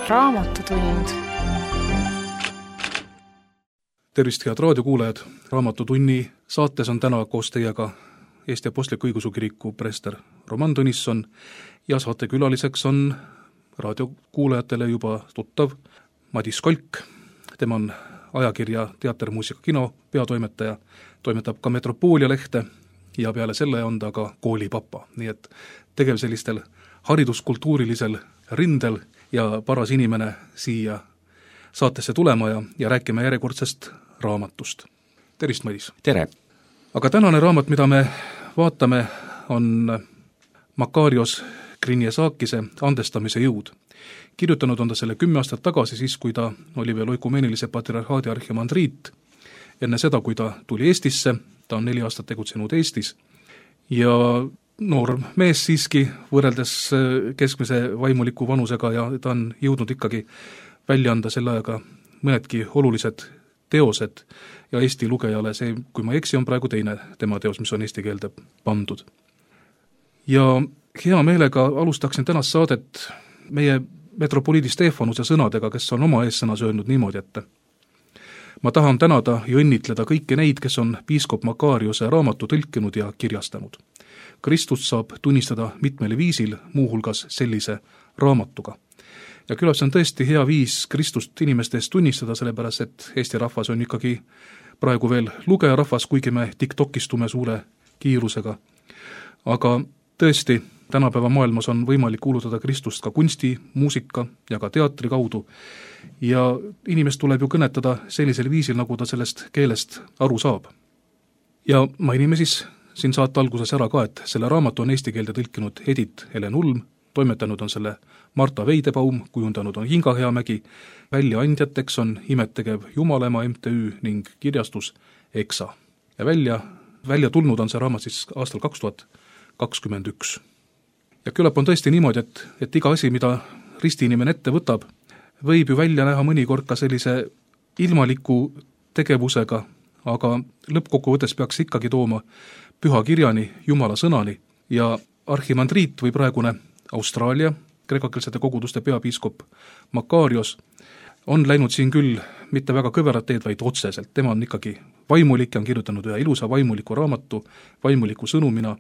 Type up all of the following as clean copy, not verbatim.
Raamatutund. Tervist, head raadiokuulajad! Raamatutunni saates on täna koos teiega Eesti Apostlik-Õigeusu Kiriku preester Roman Tõnisson ja saatekülaliseks on raadiokuulajatele juba tuttav Madis Kolk. Tema on ajakirja Teater, muusika, kino peatoimetaja, toimetab ka Metropoolia lehte ja peale selle on ta ka koolipapa. Nii et tegev sellistel hariduskultuurilisel rindel ja paras inimene siia saatesse tulema ja rääkime järjekordsest raamatust. Tervist, Madis! Tere! Aga tänane raamat, mida me vaatame, on Makarios Krinjesakise Andestamise jõud. Kirjutanud on ta selle 10 aastat tagasi, siis kui ta oli veel oikumeenilise patriarhaadi arhimandriit. Enne seda, kui ta tuli Eestisse, ta on 4 aastat tegutsenud Eestis ja noor mees siiski võrreldes keskmise vaimuliku vanusega ja ta on jõudnud ikkagi välja anda selle ajaga mõnedki olulised teosed ja Eesti lugejale see, kui ma eksi, on praegu teine tema teos, mis on eesti keelde pandud. Ja hea meelega alustaksin tänast saadet meie metropoliidi Stefanuse sõnadega, kes on oma eessõnas öelnud niimoodi, et ma tahan tänada ja õnnitleda kõiki neid, kes on piiskop Makariose raamatu tõlkinud ja kirjastanud. Kristust saab tunnistada mitmel viisil, muuhulgas sellise raamatuga. Ja küllap see on tõesti hea viis Kristust inimeste eest tunnistada, sellepärast et Eesti rahvas on ikkagi praegu veel lugejarahvas, kuigi me TikTokistume suure kiirusega. Aga tõesti, tänapäeva maailmas on võimalik kuulutada Kristust ka kunsti, muusika ja ka teatri kaudu. Ja inimest tuleb ju kõnetada sellisel viisil, nagu ta sellest keelest aru saab. Ja mainime siis siin saate alguses ära ka, et selle raamatu on eesti keelde tõlkinud Edith Helen Ulm, toimetanud on selle Marta Veidebaum, kujundanud on Inga Heamägi, väljaandjateks on Imettegev Jumalema MTÜ ning kirjastus EXA. Ja välja tulnud on see raamat siis aastal 2021. Ja küllap on tõesti niimoodi, et iga asi, mida ristiinimene ette võtab, võib ju välja näha mõnikord ka sellise ilmaliku tegevusega, aga lõppkokkuvõttes peaks ikkagi tooma püha kirjani, Jumala sõnani ja arhimandriit või praegune Austraalia kreekakeelsete koguduste peapiiskop Makarios on läinud siin küll mitte väga kõverat teed, vaid otseselt. Tema on ikkagi vaimulik ja on kirjutanud ühe ilusa vaimuliku raamatu, vaimuliku sõnumina,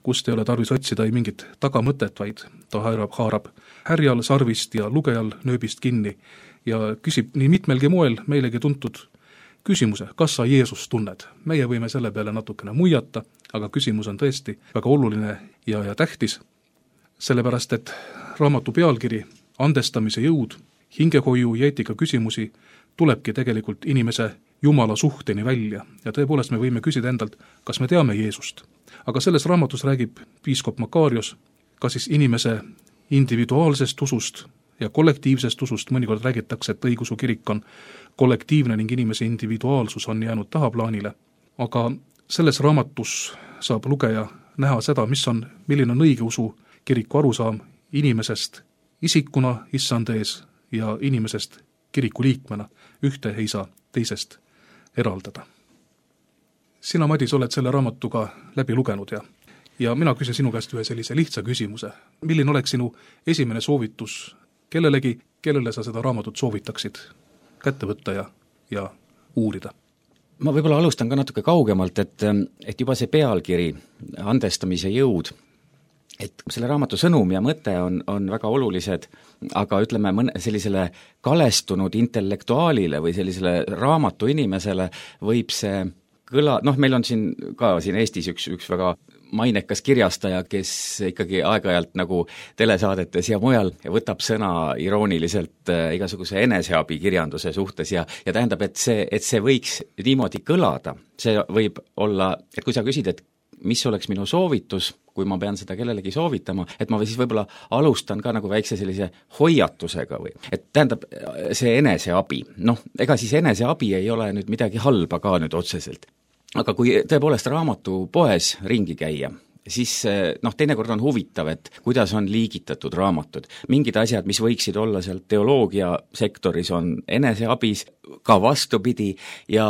kust ei ole tarvis otsida ei mingit tagamõtet, vaid ta haarab härjal sarvist ja lugejal nööbist kinni ja küsib nii mitmelgi moel meilegi tuntud küsimuse, kas sa Jeesust tunned? Meie võime selle peale natukene muiata, aga küsimus on tõesti väga oluline ja tähtis, sellepärast et raamatu pealkiri Andestamise jõud, hingehoiu ja eetika küsimusi tulebki tegelikult inimese Jumala suhteni välja ja tõepoolest me võime küsida endalt, kas me teame Jeesust. Aga selles raamatus räägib piiskop Makarios ka siis inimese individuaalsest usust ja kollektiivsest usust. Mõnikord räägitakse, et õigeusu kirik on kollektiivne ning inimese individuaalsus on jäänud tahaplaanile. Aga selles raamatus saab lugeja näha seda, milline on õigeusu kiriku arusaam inimesest isikuna issand ees ja inimesest kiriku liikmena. Ühte ei saa teisest eraldada. Sina, Madis, oled selle raamatuga läbi lugenud ja mina küsin sinu käest ühe sellise lihtsa küsimuse. Milline oleks sinu esimene soovitus kellelegi, kellele sa seda raamatut soovitaksid kätte võtta ja uurida? Ma võib-olla alustan ka natuke kaugemalt, et juba see pealkiri, Andestamise jõud, et selle raamatu sõnum ja mõte on väga olulised, aga ütleme sellisele kalestunud intellektuaalile või sellisele raamatu inimesele võib see meil on siin Eestis üks väga mainekas kirjastaja, kes ikkagi aeg-ajalt nagu telesaadetes ja mujal võtab sõna irooniliselt igasuguse eneseabikirjanduse suhtes ja tähendab, et see võiks niimoodi kõlada. See võib olla, et kui sa küsid, et mis oleks minu soovitus, kui ma pean seda kellelegi soovitama, et ma siis võib-olla alustan ka nagu väikse sellise hoiatusega või, et tähendab see eneseabi. Ega siis eneseabi ei ole nüüd midagi halba ka nüüd otseselt. Aga kui tõepoolest raamatu poes ringi käia, siis teinekord on huvitav, et kuidas on liigitatud raamatud. Mingid asjad, mis võiksid olla seal teoloogia sektoris, on eneseabis, ka vastupidi ja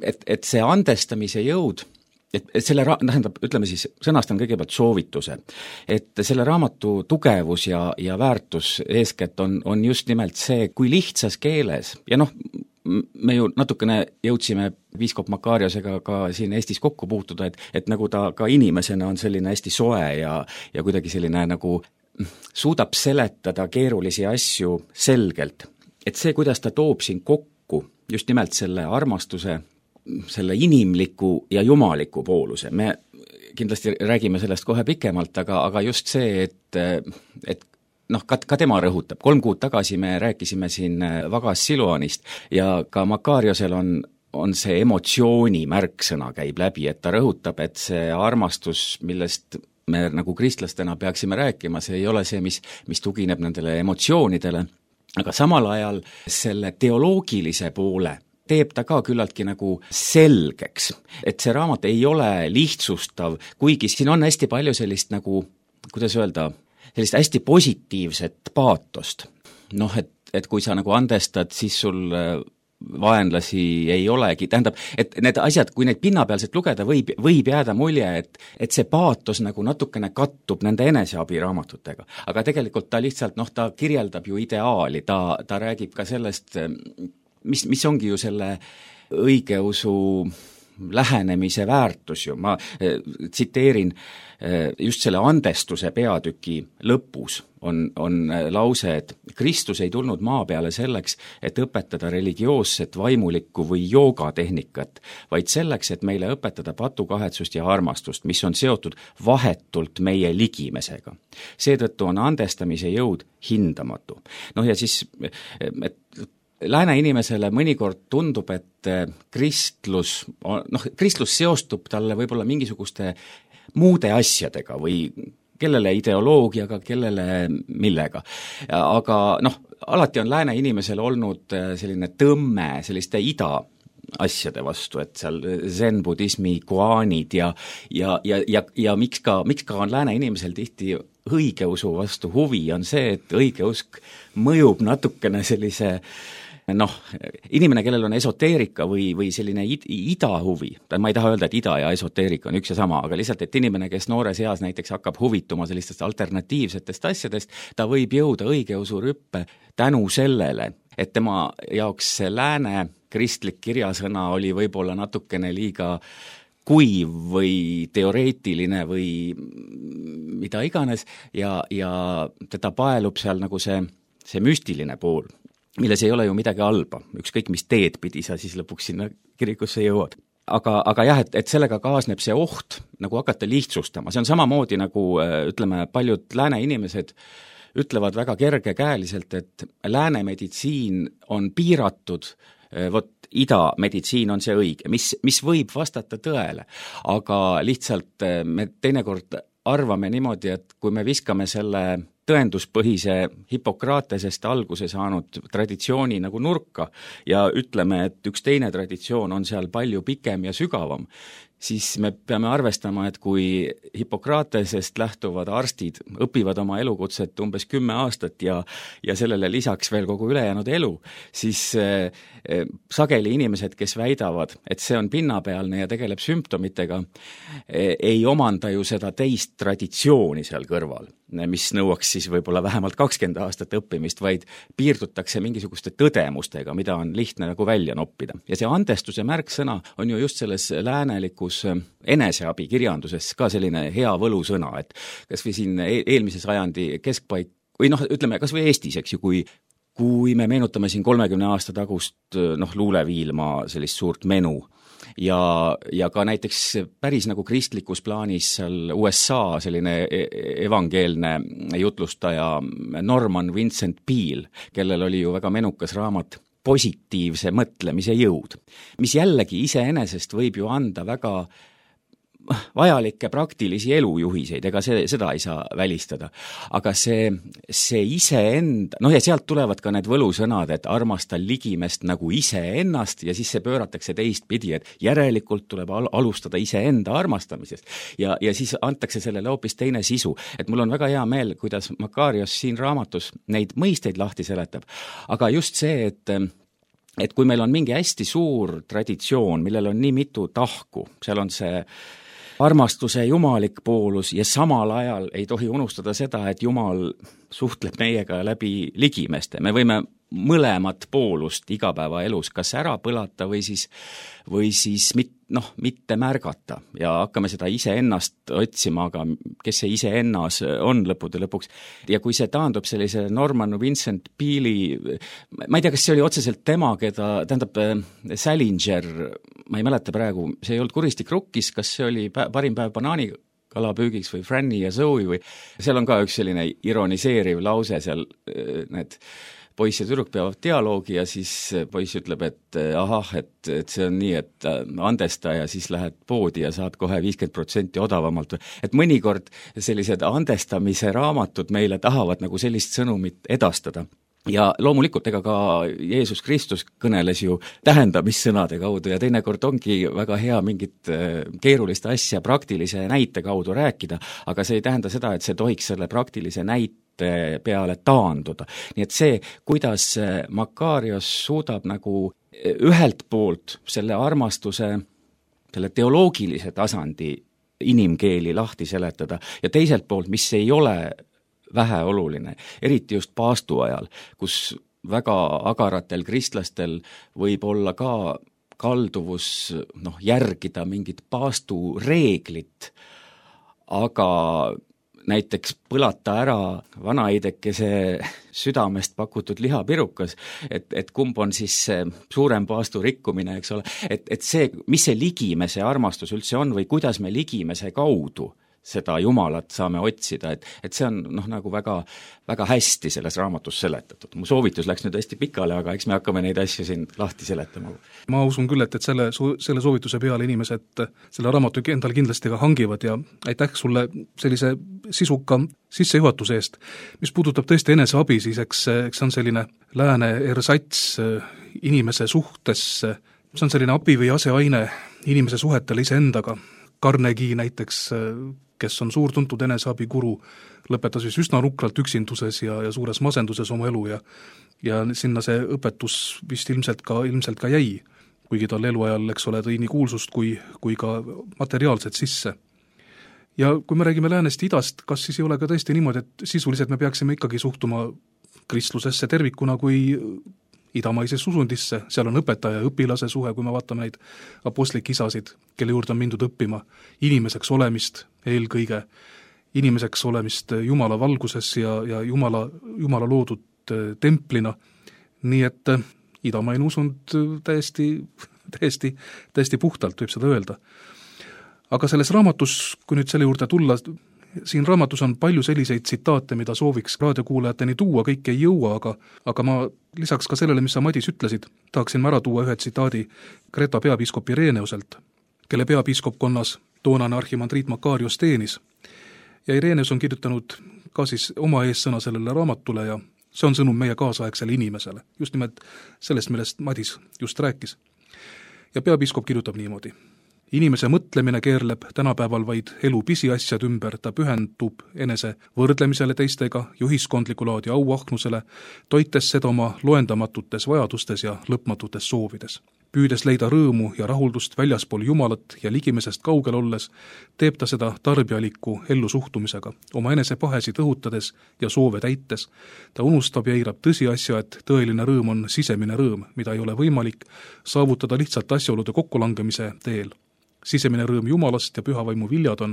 et see andestamise jõud et selle tähendab, ütleme siis, sõnastan kõigepealt soovituse, et selle raamatu tugevus ja väärtus eeskätt on just nimelt see, kui lihtsas keeles ja me ju natukene jõudsime piiskop Makariosega ka siin Eestis kokku puutuda, et nagu ta ka inimesena on selline hästi soe ja kuidagi selline nagu suudab seletada keerulisi asju selgelt. Et see, kuidas ta toob siin kokku just nimelt selle armastuse, selle inimliku ja jumaliku pooluse. Me kindlasti räägime sellest kohe pikemalt, aga just see, et ka tema rõhutab. 3 kuud tagasi me rääkisime siin Vagas Siluanist ja ka Makariosel on see emotsiooni märksõna käib läbi, et ta rõhutab, et see armastus, millest me nagu kristlastena peaksime rääkima, see ei ole see, mis tugineb nendele emotsioonidele, aga samal ajal selle teoloogilise poole teeb ta ka küllaltki nagu selgeks, et see raamat ei ole lihtsustav, kuigi siin on hästi palju sellist nagu, kuidas öelda, sellist hästi positiivset paatost. Et kui sa nagu andestad, siis sul vaenlasi ei olegi, tähendab, et need asjad, kui neid pinnapealselt lugeda, võib jääda mulje, et see paatos nagu natukene kattub nende eneseabiraamatutega. Aga tegelikult ta lihtsalt, ta kirjeldab ju ideaali, ta räägib ka sellest, mis ongi ju selle õigeusu lähenemise väärtus ju, ma tsiteerin just selle andestuse peatüki lõpus on lause, et Kristus ei tulnud maa peale selleks, et õpetada religioosset, vaimulikku või joogatehnikat, vaid selleks, et meile õpetada patukahetsust ja armastust, mis on seotud vahetult meie ligimesega. Seetõttu on andestamise jõud hindamatu. Ja siis, et lääne inimesele mõnikord tundub, et kristlus seostub talle võib-olla mingisuguste muude asjadega või kellele ideoloogiaga, kellele millega. Aga alati on lääne inimesel olnud selline tõmme selliste ida asjade vastu, et seal zen-budismi koaanid ja miks ka on lääne inimesel tihti õigeusu vastu huvi, on see, et õigeusk mõjub natukene sellise inimene, kellel on esoteerika või selline ida huvi, ma ei taha öelda, et ida ja esoteerika on üks ja sama, aga lihtsalt, et inimene, kes noores eas näiteks hakkab huvituma sellistest alternatiivsetest asjadest, ta võib jõuda õigeusu rüppe tänu sellele, et tema jaoks see lääne kristlik kirjasõna oli võib-olla natukene liiga kuiv või teoreetiline või mida iganes ja teda paelub seal nagu see müstiline pool, milles ei ole ju midagi halba, ükskõik mis teed pidi sa siis lõpuks sinna kirikusse jõuad. Aga jah, et sellega kaasneb see oht nagu hakata lihtsustama, see on samamoodi nagu ütleme, paljud lääne inimesed ütlevad väga kergekäeliselt, et lääne meditsiin on piiratud, ida meditsiin on see õige, mis võib vastata tõele, aga lihtsalt me teinekord arvame niimoodi, et kui me viskame selle tõenduspõhise Hippokratesest alguse saanud traditsiooni nagu nurka ja ütleme, et üks teine traditsioon on seal palju pikem ja sügavam, siis me peame arvestama, et kui Hippokratesest lähtuvad arstid õpivad oma elukutset umbes 10 aastat ja sellele lisaks veel kogu ülejäänud elu, siis sageli inimesed, kes väidavad, et see on pinnapealne ja tegeleb sümptomitega, ei omanda ju seda teist traditsiooni seal kõrval, mis nõuaks siis võib-olla vähemalt 20 aastat õppimist, vaid piirdutakse mingisuguste tõdemustega, mida on lihtne nagu välja noppida. Ja see andestuse märksõna on ju just selles läänelikus eneseabi kirjanduses ka selline hea võlusõna, et kas või siin eelmise sajandi keskpaik, või ütleme kas või Eestis, eks ju, kui me meenutame siin 30 aasta tagust luuleviilma sellist suurt menu ja ka näiteks päris nagu kristlikus plaanis seal USA selline evangeelne jutlustaja Norman Vincent Peale, kellel oli ju väga menukas raamat Positiivse mõtlemise jõud, mis jällegi iseenesest võib ju anda väga vajalikke praktilisi elujuhiseid, ega seda ei saa välistada. Aga see iseenda, ja sealt tulevad ka need võlusõnad, et armasta ligimest nagu iseennast ja siis see pööratakse teistpidi, et järelikult tuleb alustada iseenda armastamisest ja siis antakse sellele hoopis teine sisu. Et mul on väga hea meel, kuidas Makarios siin raamatus neid mõisteid lahti seletab, aga just see, et kui meil on mingi hästi suur traditsioon, millel on nii mitu tahku, seal on see armastuse jumalik poolus ja samal ajal ei tohi unustada seda, et Jumal suhtleb meiega läbi ligimeste. Me võime mõlemat poolust igapäevaelus kas ära põlata või siis mitte märgata ja hakkame seda iseennast otsima, aga kes see iseennas on lõppude lõpuks. Ja kui see taandub sellise Norman Vincent Peale'i, ma ei tea, kas see oli otseselt tema, Salinger, ma ei mäleta praegu, see ei olnud Kuristik rukkis, kas see oli parim päev banaanikalapüügiks või Franny ja Zoe või seal on ka üks selline ironiseeriv lause seal, need poiss ja tüdruk peavad dialoogi ja siis poiss ütleb, et et see on nii, et andesta ja siis lähed poodi ja saad kohe 50% odavamalt. Et mõnikord sellised andestamise raamatud meile tahavad nagu sellist sõnumit edastada. Ja loomulikult, ega ka Jeesus Kristus kõneles ju tähendamissõnade kaudu ja teinekord ongi väga hea mingit keerulist asja praktilise näite kaudu rääkida, aga see ei tähenda seda, et see tohiks selle praktilise näite peale taanduda. Nii et see, kuidas Makarios suudab nagu ühelt poolt selle armastuse, selle teoloogilise tasandi inimkeeli lahti seletada ja teiselt poolt, mis ei ole väheoluline, eriti just paastu ajal, kus väga agaratel kristlastel võib olla ka kalduvus järgida mingit paastu reeglit, aga näiteks põlata ära vanaidekese südamest pakutud lihapirukas, et kumb on siis suurem paastu rikkumine, eks ole, et see, mis see ligimese armastus üldse on või kuidas me ligimese kaudu seda Jumalat saame otsida, et see on nagu väga, väga hästi selles raamatus seletatud. Mu soovitus läks nüüd hästi pikale, aga eks me hakkame neid asju siin lahti seletama. Ma usun küll, et selle soovituse peale inimesed selle raamatu endal kindlasti ka hangivad ja aitäh sulle sellise sisuka sissejuhatuse eest. Mis puudutab tõesti eneseabi, siis eks on selline lääne ersats inimese suhtes, see on selline abi või aseaine inimese suhetele iseendaga. Carnegie näiteks, kes on suurtuntud eneseabikuru, lõpetas siis üsna nukralt üksinduses ja suures masenduses oma elu ja sinna see õpetus vist ilmselt ka jäi, kuigi tal eluajal, eks ole, tõi nii kuulsust kui ka materiaalset sisse. Ja kui me räägime läänest idast, kas siis ei ole ka tõesti niimoodi, et sisuliselt me peaksime ikkagi suhtuma kristlusesse tervikuna kui idamaises usundisse, seal on õpetaja ja õpilase suhe, kui me vaatame neid apostlik isasid, kelle juurde on mindud õppima, inimeseks olemist eelkõige, inimeseks olemist Jumala valguses ja Jumala loodud templina, nii et idamaine usund täiesti puhtalt võib seda öelda. Aga selles raamatus, kui nüüd selle juurde tulla, siin raamatus on palju selliseid tsitaate, mida sooviks raadiokuulajateni tuua, kõik ei jõua, aga ma lisaks ka sellele, mis sa, Madis, ütlesid, tahaksin ma ära tuua ühe tsitaadi Kreta peapiiskop Ireneuselt, kelle peapiiskopkonnas toonane arhimandriit Makarios teenis. Ja Ireneus on kirjutanud ka siis oma eessõna sellele raamatule ja see on sõnum meie kaasaegsele inimesele, just nimelt sellest, millest Madis just rääkis. Ja peapiiskop kirjutab niimoodi. Inimese mõtlemine keerleb tänapäeval vaid elu pisiasjad ümber, ta pühendub enese võrdlemisele teistega, ühiskondliku laadi auahnusele, toites seda oma loendamatutes vajadustes ja lõpmatutes soovides. Püüdes leida rõõmu ja rahuldust väljaspool Jumalat ja ligimesest kaugel olles, teeb ta seda tarbijaliku ellusuhtumisega, oma enesepahesid õhutades ja soove täites. Ta unustab ja eirab tõsiasja, et tõeline rõõm on sisemine rõõm, mida ei ole võimalik saavutada lihtsalt asjaolude kokkulangemise teel. Sisemine rõõm Jumalast ja pühavaimu viljad on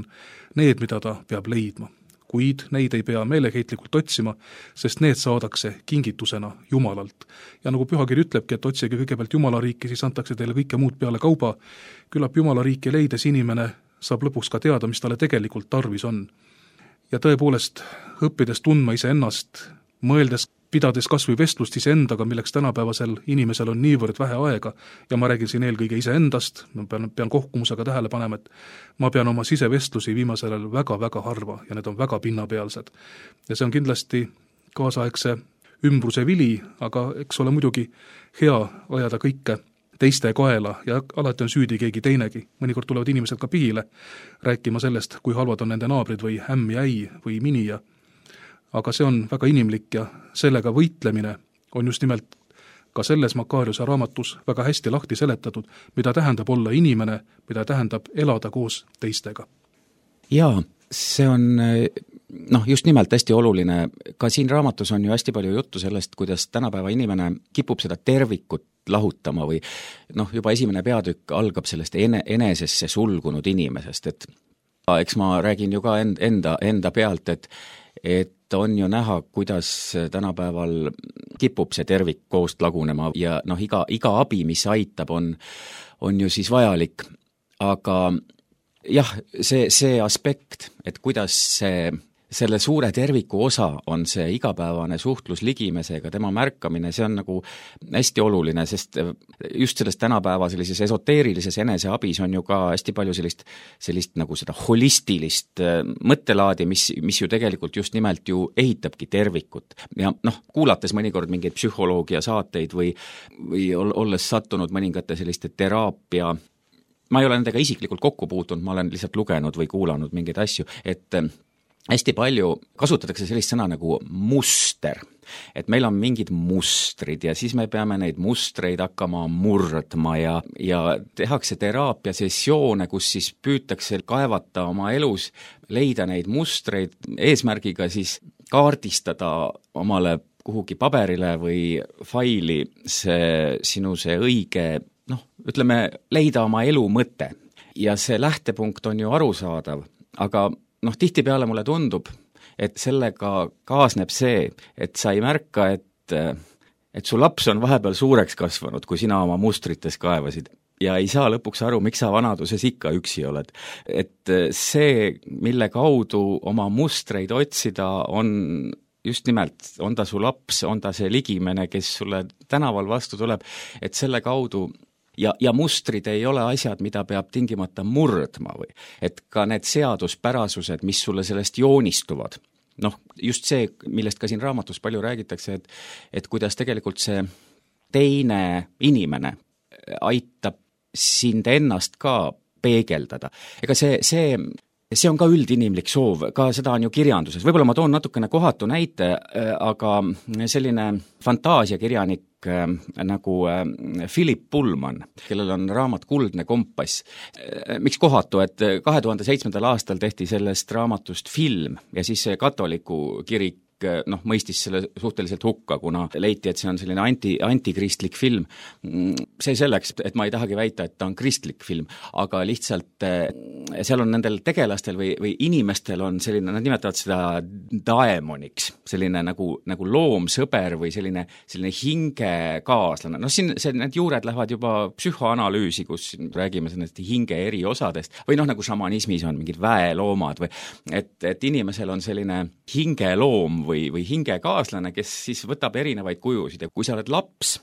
need, mida ta peab leidma. Kuid neid ei pea meeleheitlikult otsima, sest need saadakse kingitusena Jumalalt. Ja nagu pühakiri ütlebki, et otsige kõigepealt Jumala riiki, siis antakse teile kõike muud peale kauba. Küllap Jumala riiki leides inimene saab lõpuks ka teada, mis talle tegelikult tarvis on. Ja tõepoolest, õppides tundma iseennast, mõeldes, pidades kas või vestlust iseendaga, milleks tänapäevasel inimesel on niivõrd vähe aega, ja ma räägin siin eelkõige iseendast, ma pean kohkumusega tähele panema, et ma pean oma sisevestlusi viimasel ajal väga-väga harva ja need on väga pinnapealsed. Ja see on kindlasti kaasaegse ümbruse vili, aga eks ole muidugi hea ajada kõike teiste kaela ja alati on süüdi keegi teinegi. Mõnikord tulevad inimesed ka pihile rääkima sellest, kui halvad on nende naabrid või ämm ja äi või minija. Aga see on väga inimlik ja sellega võitlemine on just nimelt ka selles Makariose raamatus väga hästi lahti seletatud, mida tähendab olla inimene, mida tähendab elada koos teistega. Jaa, see on just nimelt hästi oluline. Ka siin raamatus on ju hästi palju juttu sellest, kuidas tänapäeva inimene kipub seda tervikut lahutama või juba esimene peatükk algab sellest enesesse sulgunud inimesest, et eks ma räägin ju ka enda pealt, et on ju näha, kuidas tänapäeval kipub see tervik koost lagunema ja iga abi, mis aitab, on ju siis vajalik. Aga jah, see aspekt, et kuidas selle suure terviku osa on see igapäevane suhtlus ligimesega, tema märkamine, see on nagu hästi oluline, sest just sellest tänapäeva sellises esoteerilises eneseabis on ju ka hästi palju sellist nagu seda holistilist mõttelaadi, mis ju tegelikult just nimelt ju ehitabki tervikut. Ja kuulates mõnikord mingeid psühholoogia saateid või olles sattunud mõningate selliste teraapia, ma ei ole nendega isiklikult kokku puutunud, ma olen lihtsalt lugenud või kuulanud mingeid asju, et hästi palju kasutatakse sellist sõna nagu muster, et meil on mingid mustrid ja siis me peame neid mustreid hakkama murdma ja tehakse teraapia sessioone, kus siis püütakse kaevata oma elus, leida neid mustreid eesmärgiga siis kaardistada omale kuhugi paberile või faili sinu õige, ütleme, leida oma elu mõte. Ja see lähtepunkt on ju arusaadav, aga tihtipeale mulle tundub, et sellega kaasneb see, et sa ei märka, et su laps on vahepeal suureks kasvanud, kui sina oma mustrites kaevasid ja ei saa lõpuks aru, miks sa vanaduses ikka üksi oled. Et see, mille kaudu oma mustreid otsida, on just nimelt, on ta su laps, on ta see ligimene, kes sulle tänaval vastu tuleb, et selle kaudu ja mustrid ei ole asjad, mida peab tingimata murdma või, et ka need seaduspärasused, mis sulle sellest joonistuvad. Just see, millest ka siin raamatus palju räägitakse, et kuidas tegelikult see teine inimene aitab sind ennast ka peegeldada. Ega see on ka üldinimlik soov, ka seda on ju kirjanduses. Võib-olla ma toon natukene kohatu näite, aga selline fantaasiakirjanik nagu Philip Pullman, kellel on raamat Kuldne kompass. Miks kohatu, et 2007. aastal tehti sellest raamatust film ja siis katoliku kirik mõistis selle suhteliselt hukka, kuna leiti, et see on selline antikristlik film. See selleks, et ma ei tahagi väita, et ta on kristlik film, aga lihtsalt seal on nendel tegelastel või inimestel on selline, nad nimetavad seda daemoniks, selline nagu loomsõber või selline hingekaaslane. Siin need juured lähevad juba psühhoanalüüsi, kus räägime sellest hinge eri osadest või nagu šamanismis on mingid väeloomad või et inimesel on selline hingeloom või hingekaaslane, kes siis võtab erinevaid kujusid ja kui sa oled laps,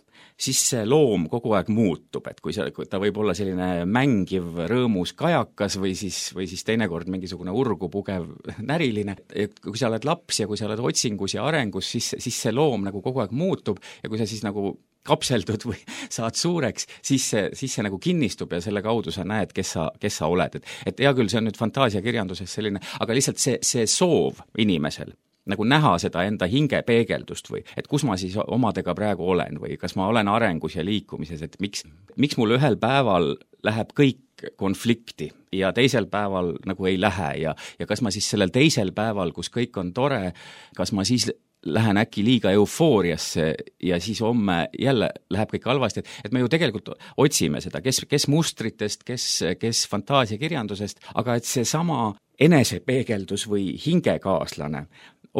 siis see loom kogu aeg muutub, et kui ta võib olla selline mängiv, rõõmus kajakas või siis teinekord mingisugune urgu pugev näriline, et kui sa oled laps ja kui sa oled otsingus ja arengus, siis see loom nagu kogu aeg muutub ja kui sa siis nagu kapseldud või saad suureks, siis see nagu kinnistub ja selle kaudu sa näed, kes sa oled. Et hea küll, see on nüüd fantaasiakirjanduses selline, aga lihtsalt see soov inimesel nagu näha seda enda hinge peegeldust või et kus ma siis omadega praegu olen või kas ma olen arengus ja liikumises, et miks mul ühel päeval läheb kõik konflikti ja teisel päeval nagu ei lähe ja kas ma siis sellel teisel päeval, kus kõik on tore, kas ma siis lähen äkki liiga eufooriasse ja siis homme jälle läheb kõik halvasti, et me ju tegelikult otsime seda, kes mustritest, kes fantaasiakirjandusest, aga et see sama enesepeegeldus või hingekaaslane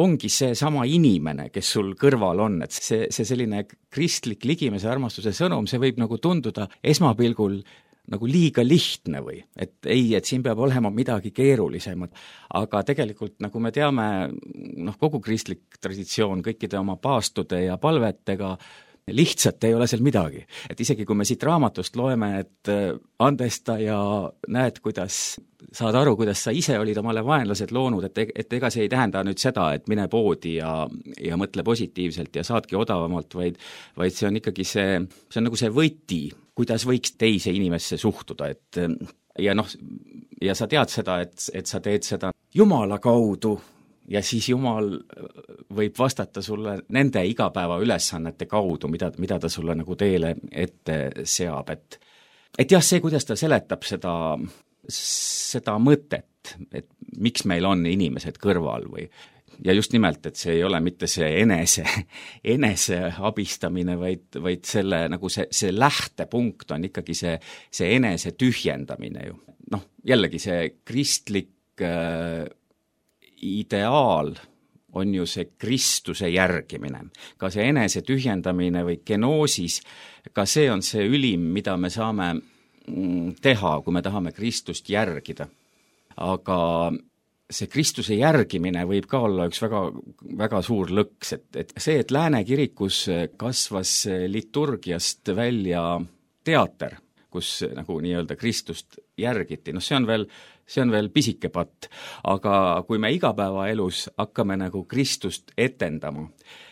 ongi see sama inimene, kes sul kõrval on, et see selline kristlik ligimese armastuse sõnum, see võib nagu tunduda esmapilgul nagu liiga lihtne või, et siin peab olema midagi keerulisemat, aga tegelikult nagu me teame, kogu kristlik traditsioon kõikide oma paastude ja palvetega lihtsalt ei ole seal midagi. Et isegi kui me siit raamatust loeme, et andesta ja näed, saad aru, kuidas sa ise olid omale vaenlased loonud, et ega see ei tähenda nüüd seda, et mine poodi ja mõtle positiivselt ja saadki odavamalt, vaid see on ikkagi see on nagu see võti, kuidas võiks teise inimesse suhtuda, ja sa tead seda, et sa teed seda Jumala kaudu ja siis Jumal võib vastata sulle nende igapäeva ülesannete kaudu, mida ta sulle nagu teele ette seab, et jah, see, kuidas ta seletab seda mõtet, et miks meil on inimesed kõrval või ja just nimelt, et see ei ole mitte see enese abistamine, vaid selle nagu see lähtepunkt on ikkagi see enese tühjendamine ju. Noh, jällegi see kristlik ideaal on ju see Kristuse järgimine. Ka see enese tühjendamine või genoosis, ka see on see ülim, mida me saame teha, kui me tahame Kristust järgida. Aga see Kristuse järgimine võib ka olla üks väga, väga suur lõks, et see, et Lääne kirikus kasvas liturgiast välja teater, kus nagu nii-öelda Kristust järgiti, see on veel pisike patt, aga kui me igapäevaelus hakkame nagu Kristust etendama,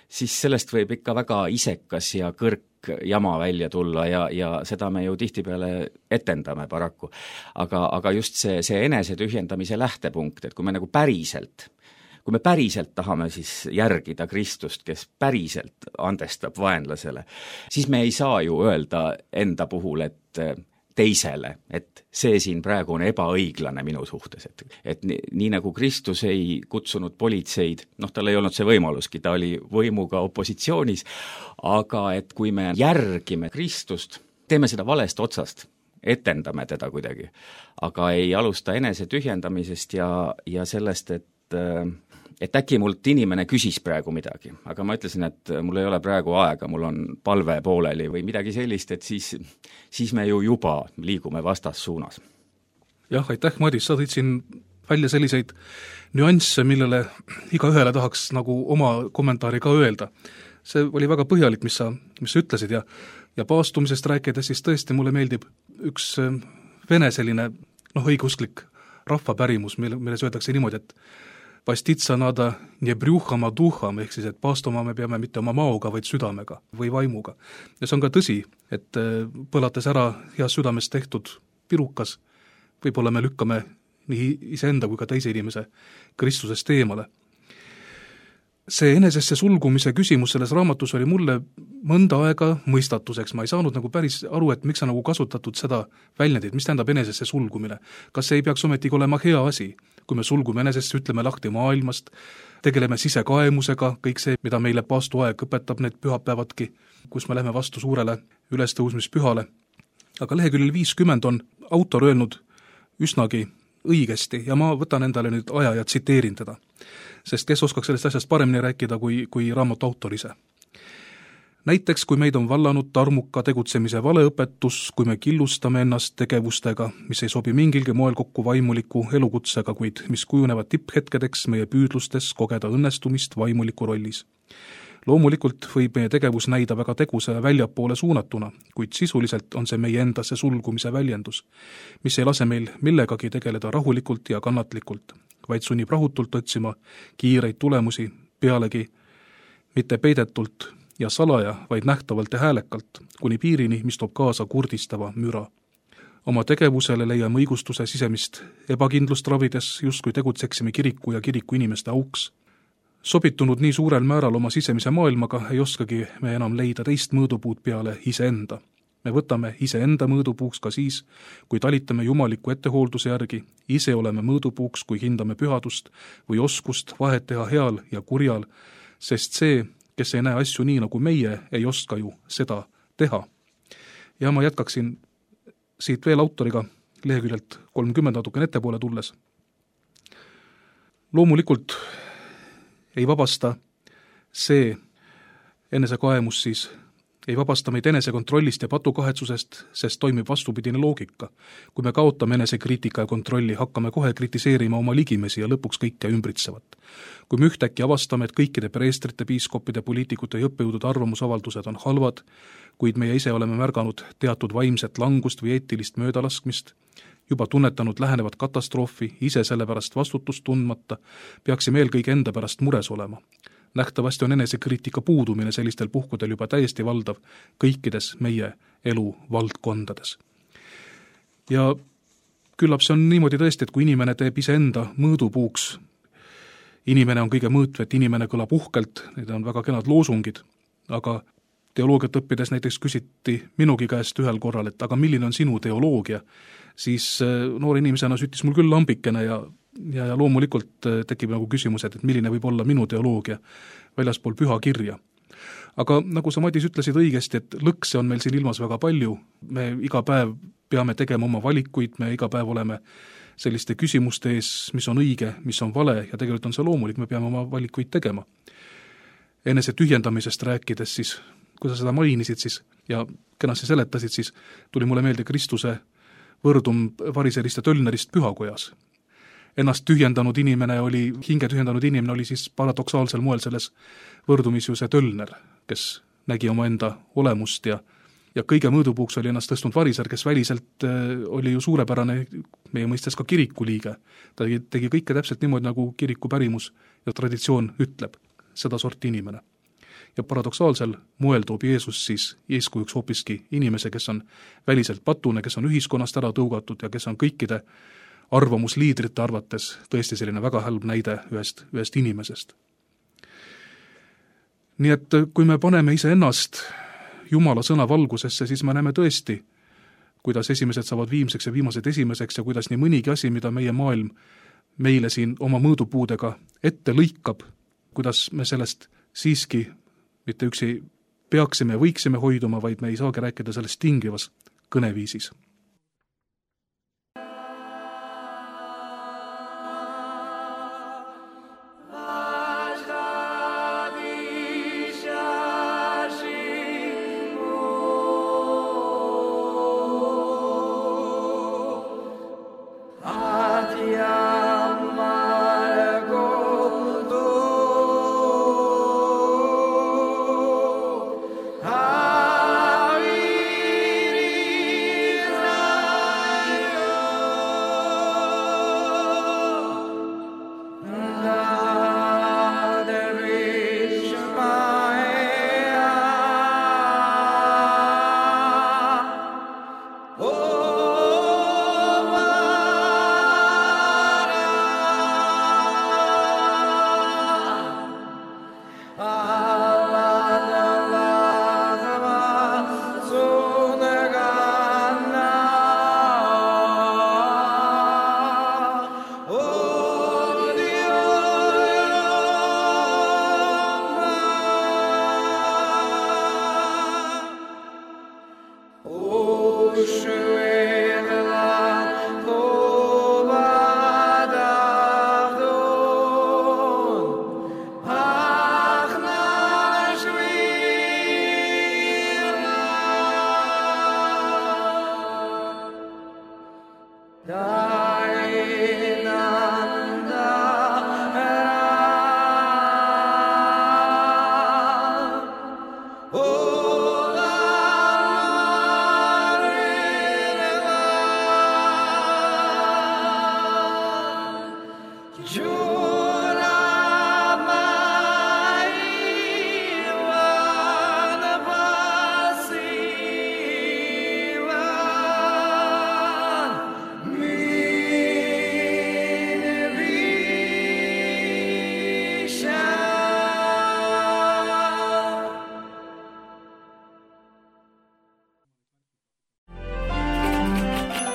siis sellest võib ikka väga isekas ja kõrk jama välja tulla ja seda me ju tihtipeale etendame paraku. Aga just see enese tühjendamise lähtepunkt, et kui me päriselt tahame siis järgida Kristust, kes päriselt andestab vaenlasele, siis me ei saa ju öelda enda puhul, et teisele, et see siin praegu on ebaõiglane minu suhtes, et nii nagu Kristus ei kutsunud politseid, tal ei olnud see võimaluski, ta oli võimuga opositsioonis, aga et kui me järgime Kristust, teeme seda valest otsast, etendame teda kuidagi, aga ei alusta enese tühjendamisest ja sellest, et äkki mult inimene küsis praegu midagi, aga ma ütlesin, et mul ei ole praegu aega, mul on palve pooleli või midagi sellist, et siis me ju juba liigume vastassuunas. Jah, aitäh, Madis, sa tõid siin välja selliseid nüansse, millele igaühele tahaks nagu oma kommentaari ka öelda. See oli väga põhjalik, mis sa ütlesid ja paastumisest rääkides, siis tõesti mulle meeldib üks vene selline õigeusklik rahvapärimus, milles öeldakse niimoodi, et pastitsa nada nie brjuhama duham, ehk siis, et paastuma me peame mitte oma maoga, vaid südamega või vaimuga. Ja see on ka tõsi, et põlates ära heas südames tehtud pirukas, võib-olla me lükkame nii iseenda kui ka teise inimese Kristusest eemale. See enesesse sulgumise küsimus selles raamatus oli mulle mõnda aega mõistatuseks. Ma ei saanud nagu päris aru, et miks on nagu kasutatud seda väljendit, mis tähendab enesesse sulgumine. Kas see ei peaks ometigi olema hea asi? Kui me sulgume enesesse, ütleme lahti maailmast, tegeleme sisekaemusega, kõik see, mida meile paastuaeg õpetab, need pühapäevadki, kus me läheme vastu suurele ülestõusmispühale. Aga leheküljel 50 on autor öelnud üsnagi õigesti ja ma võtan endale nüüd aja ja tsiteerin teda. Sest kes oskaks sellest asjast paremini rääkida kui raamatu autor ise. Näiteks, kui meid on vallanud tarmuka tegutsemise valeõpetus, kui me killustame ennast tegevustega, mis ei sobi mingilgi moel kokku vaimuliku elukutsega, kuid mis kujunevad tipphetkedeks meie püüdlustes kogeda õnnestumist vaimuliku rollis. Loomulikult võib meie tegevus näida väga tegusa ja väljapoole suunatuna, kuid sisuliselt on see meie endasse sulgumise väljendus, mis ei lase meil millegagi tegeleda rahulikult ja kannatlikult, vaid sunnib rahutult otsima kiireid tulemusi, pealegi mitte peidetult ja salaja, vaid nähtavalt ja häälekalt, kuni piirini, mis toob kaasa kurdistava müra. Oma tegevusele leiame õigustuse sisemist ebakindlust ravides, justkui tegutseksime kiriku ja kiriku inimeste auks. Sobitunud nii suurel määral oma sisemise maailmaga ei oskagi me enam leida teist mõõdupuud peale iseenda. Me võtame iseenda mõõdupuuks ka siis, kui talitame jumaliku ettehoolduse järgi, ise oleme mõõdupuuks, kui hindame pühadust või oskust vahet teha heal ja kurjal, sest see, kes ei näe asju nii nagu meie, ei oska ju seda teha. Ja ma jätkaksin siit veel autoriga leheküljelt 30 natukene ettepoole tulles. Loomulikult ei vabasta see enesekaemus siis, ei vabasta meid enesekontrollist ja patukahetsusest, sest toimib vastupidine loogika. Kui me kaotame enesekriitika ja kontrolli, hakkame kohe kritiseerima oma ligimesi ja lõpuks kõike ümbritsevat. Kui me ühtäkki avastame, et kõikide preestrite, piiskopide, poliitikute ja õppejõudude arvamusavaldused on halvad, kuid meie ise oleme märganud teatud vaimset langust või eetilist möödalaskmist, juba tunnetanud lähenevat katastroofi, ise sellepärast vastutust tundmata, peaksime eelkõige enda pärast mures olema. Nähtavasti on enesekriitika puudumine sellistel puhkudel juba täiesti valdav kõikides meie elu valdkondades. Ja küllap see on niimoodi tõesti, et kui inimene teeb iseenda mõõdupuuks, inimene on kõige mõõtvet, inimene kõlab uhkelt, need on väga kenad loosungid, aga teoloogiat õppides näiteks küsiti minugi käest ühel korral, et aga milline on sinu teoloogia, siis noore inimesena süttis mul küll lambikene ja loomulikult tekib nagu küsimus, et milline võib olla minu teoloogia väljaspool püha kirja. Aga nagu sa, Madis, ütlesid õigesti, et lõkse on meil siin ilmas väga palju, me iga päev peame tegema oma valikuid, me iga päev oleme selliste küsimuste ees, mis on õige, mis on vale, ja tegelikult on see loomulik, me peame oma valikuid tegema. Enese tühjendamisest rääkides siis, kui sa seda mainisid siis ja kenasti seletasid, siis tuli mulle meelde Kristuse võrdum variserist ja tölnerist pühakojas. Ennast tühjendanud inimene oli, hinge tühjendanud inimene oli siis paradoksaalsel moel selles võrdumis ju see tölner, kes nägi oma enda olemust ja kõige mõõdupuuks oli ennast tõstnud variser, kes väliselt oli ju suurepärane meie mõistes ka kirikuliige. Ta tegi kõike täpselt niimoodi, nagu kiriku pärimus ja traditsioon ütleb, seda sorti inimene. Ja paradoksaalsel moel toob Jeesus siis eeskujuks hoopiski inimese, kes on väliselt patune, kes on ühiskonnast ära tõugatud ja kes on kõikide arvamusliidrite arvates tõesti selline väga halb näide ühest inimesest. Nii et kui me paneme iseennast Jumala sõna valgusesse, siis me näeme tõesti, kuidas esimesed saavad viimseks ja viimased esimeseks ja kuidas nii mõnigi asi, mida meie maailm meile siin oma mõõdupuudega ette lõikab, kuidas me sellest siiski mitte üksi peaksime ja võiksime hoiduma, vaid me ei saagi rääkida sellest tingivas kõneviisis.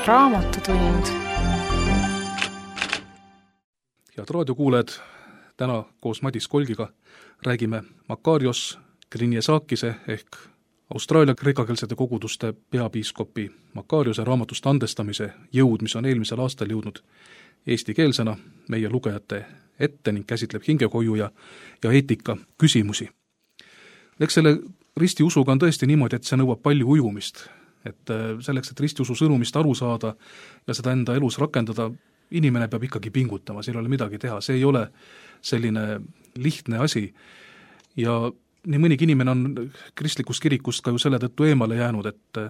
Raamatutund. Head raadiokuulajad, täna koos Madis Kolgiga räägime Makarios Grinjesakise ehk Austraalia kreekakeelsete koguduste peapiiskopi Makariose raamatust Andestamise jõud, mis on eelmisel aastal jõudnud eestikeelsena meie lugejate ette ning käsitleb hingehoiu ja eetika küsimusi. Eks selle ristiusuga on tõesti niimoodi, et see nõuab palju ujumist. Et selleks, et ristiusu sõnumist aru saada ja seda enda elus rakendada, inimene peab ikkagi pingutama, siin ei ole midagi teha, see ei ole selline lihtne asi. Ja nii mõnigi inimene on kristlikust kirikust ka ju selle tõttu eemale jäänud, et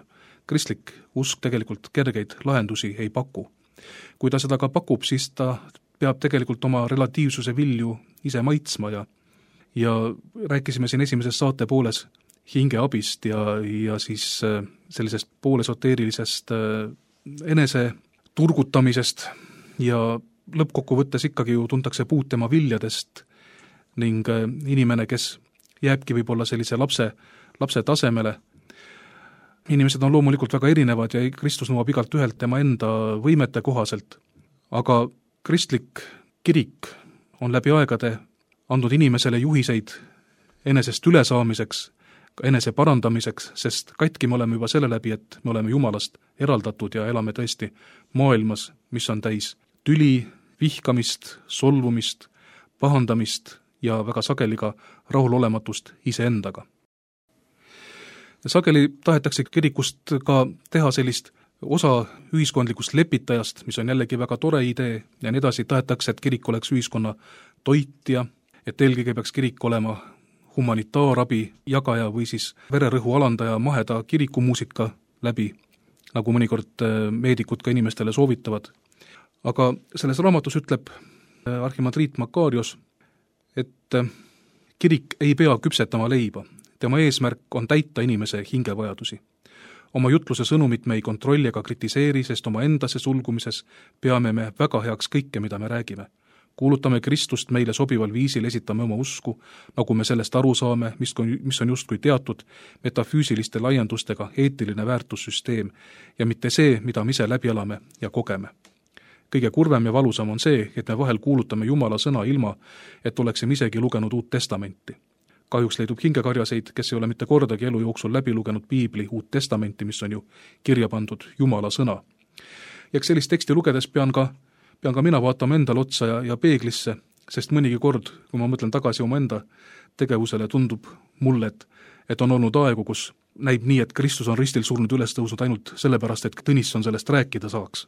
kristlik usk tegelikult kergeid lahendusi ei paku. Kui ta seda ka pakub, siis ta peab tegelikult oma relatiivsuse vilju ise maitsma ja rääkisime siin esimeses saate pooles hingeabist ja siis sellisest poolesoteerilisest enese turgutamisest ja lõppkokkuvõttes ikkagi ju tuntakse puud tema viljadest ning inimene, kes jääbki võib-olla sellise lapse tasemele, inimesed on loomulikult väga erinevad ja Kristus nõuab igalt ühelt tema enda võimete kohaselt, aga kristlik kirik on läbi aegade andnud inimesele juhiseid enesest ülesaamiseks, enese parandamiseks, sest katki me oleme juba selle läbi, et me oleme Jumalast eraldatud ja elame tõesti maailmas, mis on täis tüli, vihkamist, solvumist, pahandamist ja väga sageli ka rahulolematust iseendaga. Sageli tahetakse kirikust ka teha sellist osa ühiskondlikust lepitajast, mis on jällegi väga tore idee ja nii edasi, tahetakse, et kirik oleks ühiskonna toitja, et eelkõige peaks kirik olema humanitaarabi jagaja või siis vererõhu alandaja maheda kirikumuusika läbi, nagu mõnikord meedikud ka inimestele soovitavad. Aga selles raamatus ütleb arhimandriit Makarios, et kirik ei pea küpsetama leiba, tema eesmärk on täita inimese hingevajadusi. Oma jutluse sõnumit me ei kontrolli ega kritiseeri, sest oma endasse sulgumises peame me väga heaks kõike, mida me räägime. Kuulutame Kristust meile sobival viisil, esitame oma usku, nagu me sellest aru saame, mis on justkui teatud metafüüsiliste laiendustega eetiline väärtussüsteem ja mitte see, mida me ise läbi elame ja kogeme. Kõige kurvem ja valusam on see, et me vahel kuulutame Jumala sõna ilma, et oleksime isegi lugenud Uut Testamenti. Kahjuks leidub hingekarjaseid, kes ei ole mitte kordagi elu jooksul läbi lugenud Piibli Uut Testamenti, mis on ju kirja pandud Jumala sõna. Ja sellist teksti lugedes pean ka mina vaatama endale otsa ja peeglisse, sest mõnigi kord, kui ma mõtlen tagasi oma enda tegevusele, tundub mulle, et on olnud aegu, kus näib nii, et Kristus on ristil surnud üles tõusnud ainult sellepärast, et Tõnisson sellest rääkida saaks.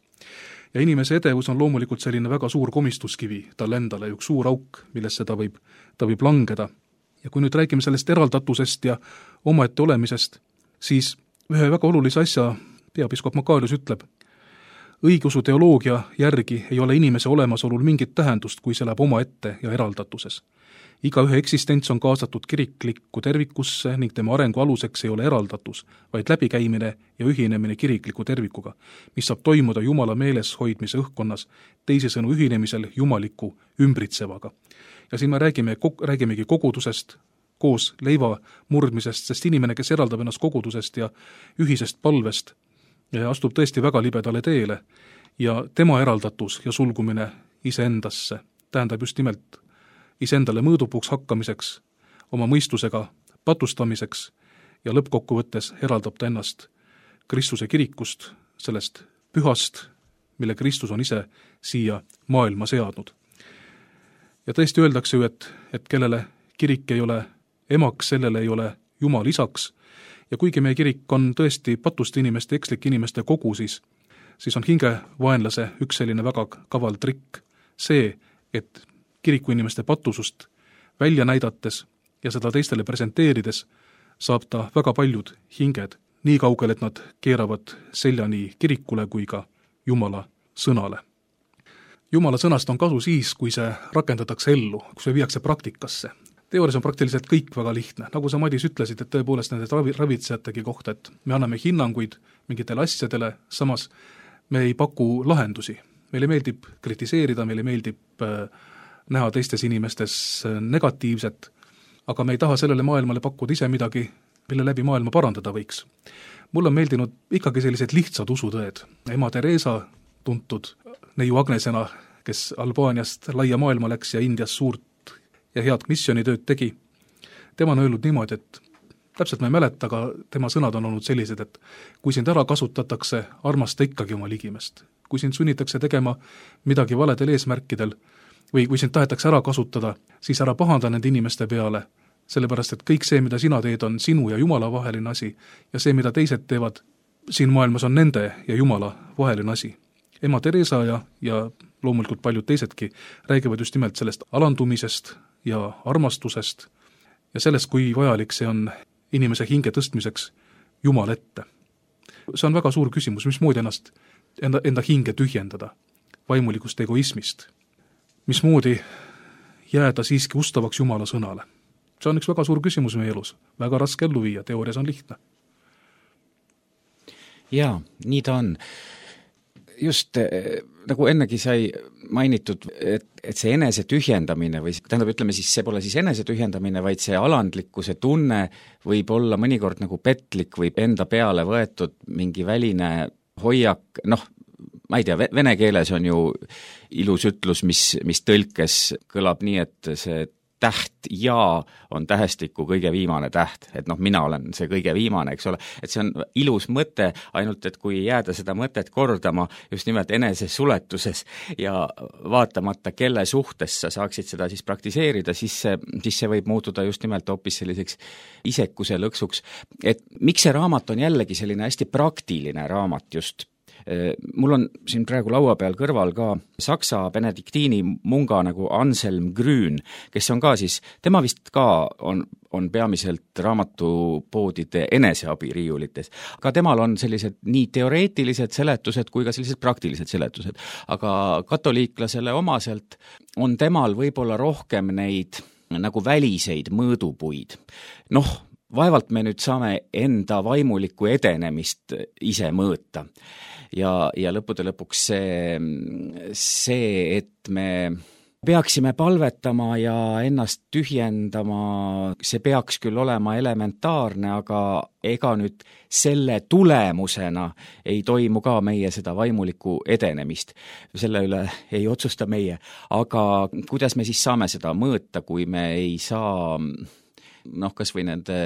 Ja inimese edevus on loomulikult selline väga suur komistuskivi tal endale, üks suur auk, millesse ta võib langeda. Ja kui nüüd räägime sellest eraldatusest ja omaette olemisest, siis ühe väga olulise asja peapiiskop Makarios ütleb, õigeusu teoloogia järgi ei ole inimese olemasolul mingit tähendust, kui see läheb omaette ja eraldatuses. Igaühe eksistents on kaasatud kiriklikku tervikusse ning tema arengu aluseks ei ole eraldatus, vaid läbikäimine ja ühinemine kirikliku tervikuga, mis saab toimuda Jumala meeles hoidmise õhkkonnas, teisisõnu ühinemisel jumaliku ümbritsevaga. Ja siin me räägimegi kogudusest, koos leiva murdmisest, sest inimene, kes eraldab ennast kogudusest ja ühisest palvest, ja astub tõesti väga libedale teele ja tema eraldatus ja sulgumine iseendasse tähendab just nimelt iseendale mõõdupuuks hakkamiseks, oma mõistusega patustamiseks ja lõppkokkuvõttes eraldab ta ennast Kristuse kirikust, sellest pühast, mille Kristus on ise siia maailma seadnud. Ja tõesti öeldakse ju, et kellele kirik ei ole emaks, sellele ei ole Jumal isaks, ja kuigi meie kirik on tõesti patuste inimeste, ekslike inimeste kogu, siis on hingevaenlase üks selline väga kaval trikk see, et kiriku inimeste patusust välja näidates ja seda teistele presenteerides saab ta väga paljud hinged nii kaugel, et nad keeravad selja nii kirikule kui ka Jumala sõnale. Jumala sõnast on kasu siis, kui see rakendatakse ellu, kui see viiakse praktikasse. Teoorias on praktiliselt kõik väga lihtne. Nagu sa, Madis, ütlesid, et tõepoolest nende ravitsejategi kohta, et me anname hinnanguid mingitele asjadele, samas me ei paku lahendusi. Meile meeldib kritiseerida, meile meeldib näha teistes inimestes negatiivset, aga me ei taha sellele maailmale pakkuda ise midagi, mille läbi maailma parandada võiks. Mulle on meeldinud ikkagi sellised lihtsad usutõed. Ema Teresa, tuntud neiu Agnesena, kes Albaaniast laia maailma läks ja Indias suurt ja head missioonitööd tegi. Tema on öelnud niimoodi, et täpselt ma ei mäleta, aga tema sõnad on olnud sellised, et kui sind ära kasutatakse, armasta ikkagi oma ligimest. Kui sind sunnitakse tegema midagi valedel eesmärkidel või kui sind tahetakse ära kasutada, siis ära pahanda nende inimeste peale, sellepärast et kõik see, mida sina teed, on sinu ja Jumala vaheline asi ja see, mida teised teevad siin maailmas, on nende ja Jumala vaheline asi. Ema Teresa ja loomulikult paljud teisedki räägivad just nimelt sellest alandumisest ja armastusest ja sellest, kui vajalik see on inimese hinge tõstmiseks Jumal ette. See on väga suur küsimus, mismoodi enda hinge tühjendada vaimulikust egoismist, mismoodi jääda siiski ustavaks Jumala sõnale. See on üks väga suur küsimus meie elus, väga raske ellu viia, teoorias on lihtne. Jaa, nii ta on. just nagu ennegi sai mainitud, et see enese tühjendamine või tähendab, ütleme siis, see pole siis enese tühjendamine, vaid see alandlikkuse tunne võib olla mõnikord nagu petlik või enda peale võetud mingi väline hoiak, ma ei tea, vene keeles on ju ilus ütlus, mis tõlkes kõlab nii, et see täht ja on tähestiku kõige viimane täht, et mina olen see kõige viimane, eks ole, et see on ilus mõte, ainult et kui jääda seda mõtet kordama just nimelt enese suletuses ja vaatamata, kelle suhtes sa saaksid seda siis praktiseerida, siis see võib muutuda just nimelt hoopis selliseks isekuse lõksuks. Et miks see raamat on jällegi selline hästi praktiline raamat just? Mul on siin praegu laua peal kõrval ka saksa benediktiini munga nagu Anselm Grün, kes on ka siis, tema vist ka on peamiselt raamatupoodide eneseabiriiulites. Aga temal on sellised nii teoreetilised seletused kui ka sellised praktilised seletused. Aga katoliiklasele omaselt on temal võib-olla rohkem neid nagu väliseid mõõdupuid. Vaevalt me nüüd saame enda vaimulikku edenemist ise mõõta. Ja lõppude lõpuks see, et me peaksime palvetama ja ennast tühjendama, see peaks küll olema elementaarne, aga ega nüüd selle tulemusena ei toimu ka meie seda vaimulikku edenemist. Selle üle ei otsusta meie. Aga kuidas me siis saame seda mõõta, kui me ei saa kas või nende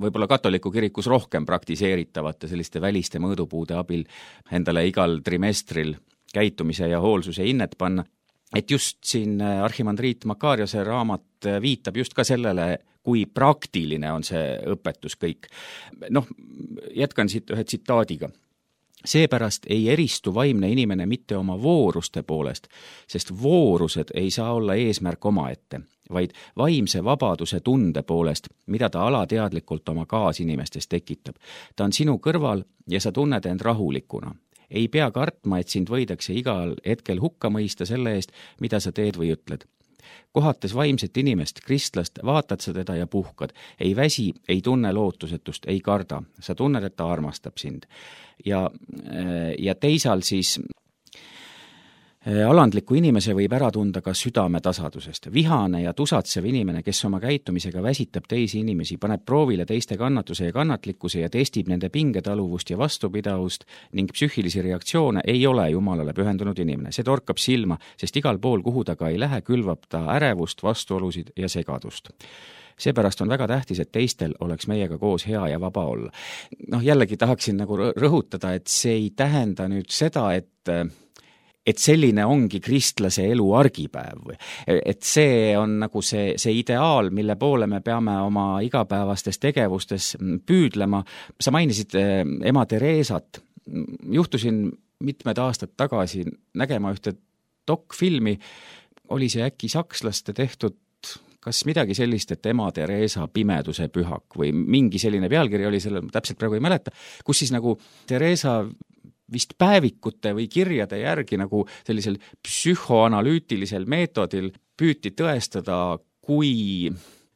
võib-olla katoliku kirikus rohkem praktiseeritavate selliste väliste mõõdupuude abil endale igal trimestril käitumise ja hoolsuse hinnet panna. Et just siin arhimandriit Makariose raamat viitab just ka sellele, kui praktiline on see õpetus kõik. Jätkan siit ühe tsitaadiga. Seepärast ei eristu vaimne inimene mitte oma vooruste poolest, sest voorused ei saa olla eesmärk omaette, vaid vaimse vabaduse tunde poolest, mida ta alateadlikult oma kaasinimestes tekitab. Ta on sinu kõrval ja sa tunned end rahulikuna. Ei pea kartma, et sind võidakse igal hetkel hukka mõista selle eest, mida sa teed või ütled. Kohates vaimset inimest, kristlast, vaatad sa teda ja puhkad. Ei väsi, ei tunne lootusetust, ei karda. Sa tunned, et ta armastab sind. Ja teisal siis alandliku inimese võib ära tunda ka südame tasadusest. Vihane ja tusatsev inimene, kes oma käitumisega väsitab teisi inimesi, paneb proovile teiste kannatuse ja kannatlikkuse ja testib nende pingetaluvust ja vastupidavust ning psüühilisi reaktsioone, ei ole Jumalale pühendunud inimene. See torkab silma, sest igal pool, kuhu ta ka ei lähe, külvab ta ärevust, vastuolusid ja segadust. Seepärast on väga tähtis, et teistel oleks meiega koos hea ja vaba olla. Jällegi tahaksin nagu rõhutada, et see ei tähenda nüüd seda, et selline ongi kristlase elu argipäev. Et see on nagu see ideaal, mille poole me peame oma igapäevastes tegevustes püüdlema. Sa mainisid ema Tereesat. Juhtusin mitmed aastad tagasi nägema ühte dokfilmi. Oli see äkki sakslaste tehtud kas midagi sellist, et ema Tereesa pimeduse pühak või mingi selline pealkiri oli sellel, täpselt praegu ei mäleta, kus siis nagu Tereesa vist päevikute või kirjade järgi nagu sellisel psühhoanalüütilisel meetodil püüti tõestada, kui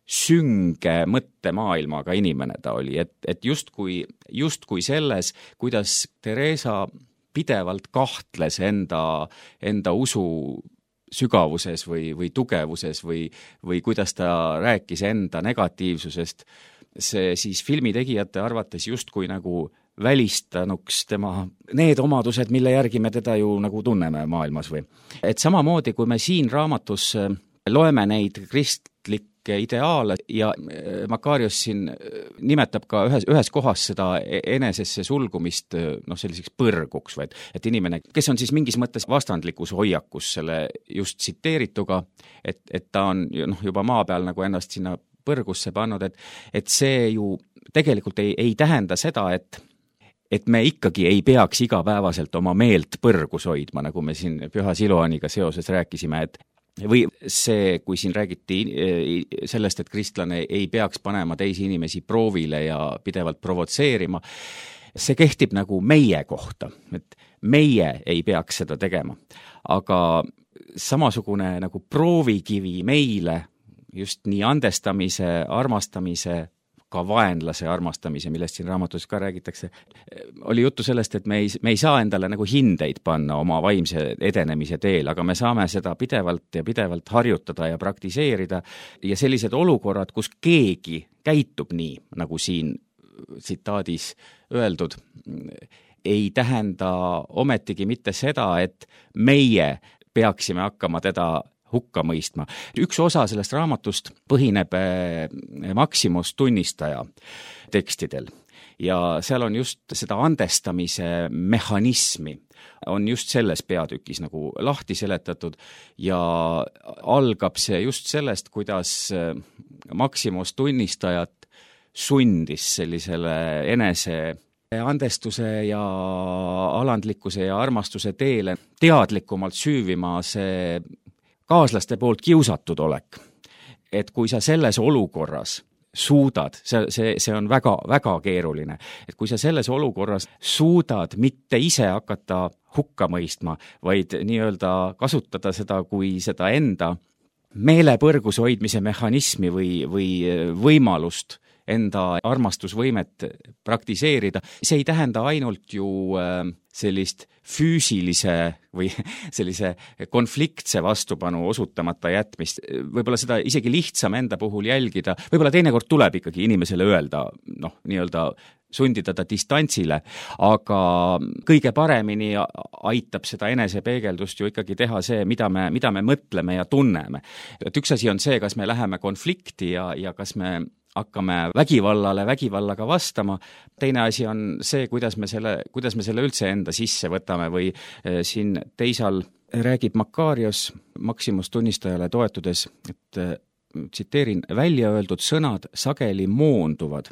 sünge mõttemaailmaga inimene ta oli, et justkui selles, kuidas Tereesa pidevalt kahtles enda usu sügavuses või tugevuses või kuidas ta rääkis enda negatiivsusest, see siis filmitegijate arvates justkui nagu välistanuks tema need omadused, mille järgi me teda ju nagu tunneme maailmas või. Et samamoodi, kui me siin raamatus loeme neid kristlikke ideaale ja Makarios siin nimetab ka ühes kohas seda enesesse sulgumist selliseks põrguks, et inimene, kes on siis mingis mõttes vastandlikus hoiakus selle just tsiteerituga, et ta on juba maa peal nagu ennast sinna põrgusse pannud, et see ju tegelikult ei tähenda seda, et me ikkagi ei peaks igapäevaselt oma meelt põrgus hoidma, nagu me siin Püha Siloaniga seoses rääkisime, või see, kui siin räägiti sellest, et kristlane ei peaks panema teisi inimesi proovile ja pidevalt provotseerima, see kehtib nagu meie kohta, et meie ei peaks seda tegema. Aga samasugune nagu proovikivi meile just nii andestamise, armastamise, hukka vaenlase armastamise, millest siin raamatus ka räägitakse. Oli juttu sellest, et me ei saa endale nagu hindeid panna oma vaimse edenemise teel, aga me saame seda pidevalt harjutada ja praktiseerida ja sellised olukorrad, kus keegi käitub nii, nagu siin tsitaadis öeldud, ei tähenda ometigi mitte seda, et meie peaksime hakkama teda hukka mõistma. Üks osa sellest raamatust põhineb Maximus tunnistaja tekstidel ja seal on just seda andestamise mehhanismi on just selles peatükis nagu lahti seletatud ja algab see just sellest, kuidas Maximus tunnistajat sundis sellisele enese andestuse ja alandlikkuse ja armastuse teele teadlikumalt süüvima see kaaslaste poolt kiusatud olek. Et kui sa selles olukorras suudad, see on väga, väga keeruline, et kui sa selles olukorras suudad mitte ise hakata hukka mõistma, vaid nii-öelda kasutada seda kui seda enda meelepõrgus hoidmise mehhanismi või võimalust enda armastusvõimet praktiseerida. See ei tähenda ainult ju sellist füüsilise või sellise konfliktse vastupanu osutamata jätmist. Võib-olla seda isegi lihtsam enda puhul jälgida. Võib-olla teinekord tuleb ikkagi inimesele öelda, nii-öelda sundida ta distantsile, aga kõige paremini aitab seda enesepeegeldust ju ikkagi teha see, mida me mõtleme ja tunneme. Et üks asi on see, kas me läheme konflikti ja kas me hakkame vägivallaga vastama. Teine asi on see, kuidas me selle üldse enda sisse võtame või siin teisal räägib Makarios Maximus tunnistajale toetudes, et tsiteerin, välja öeldud sõnad sageli moonduvad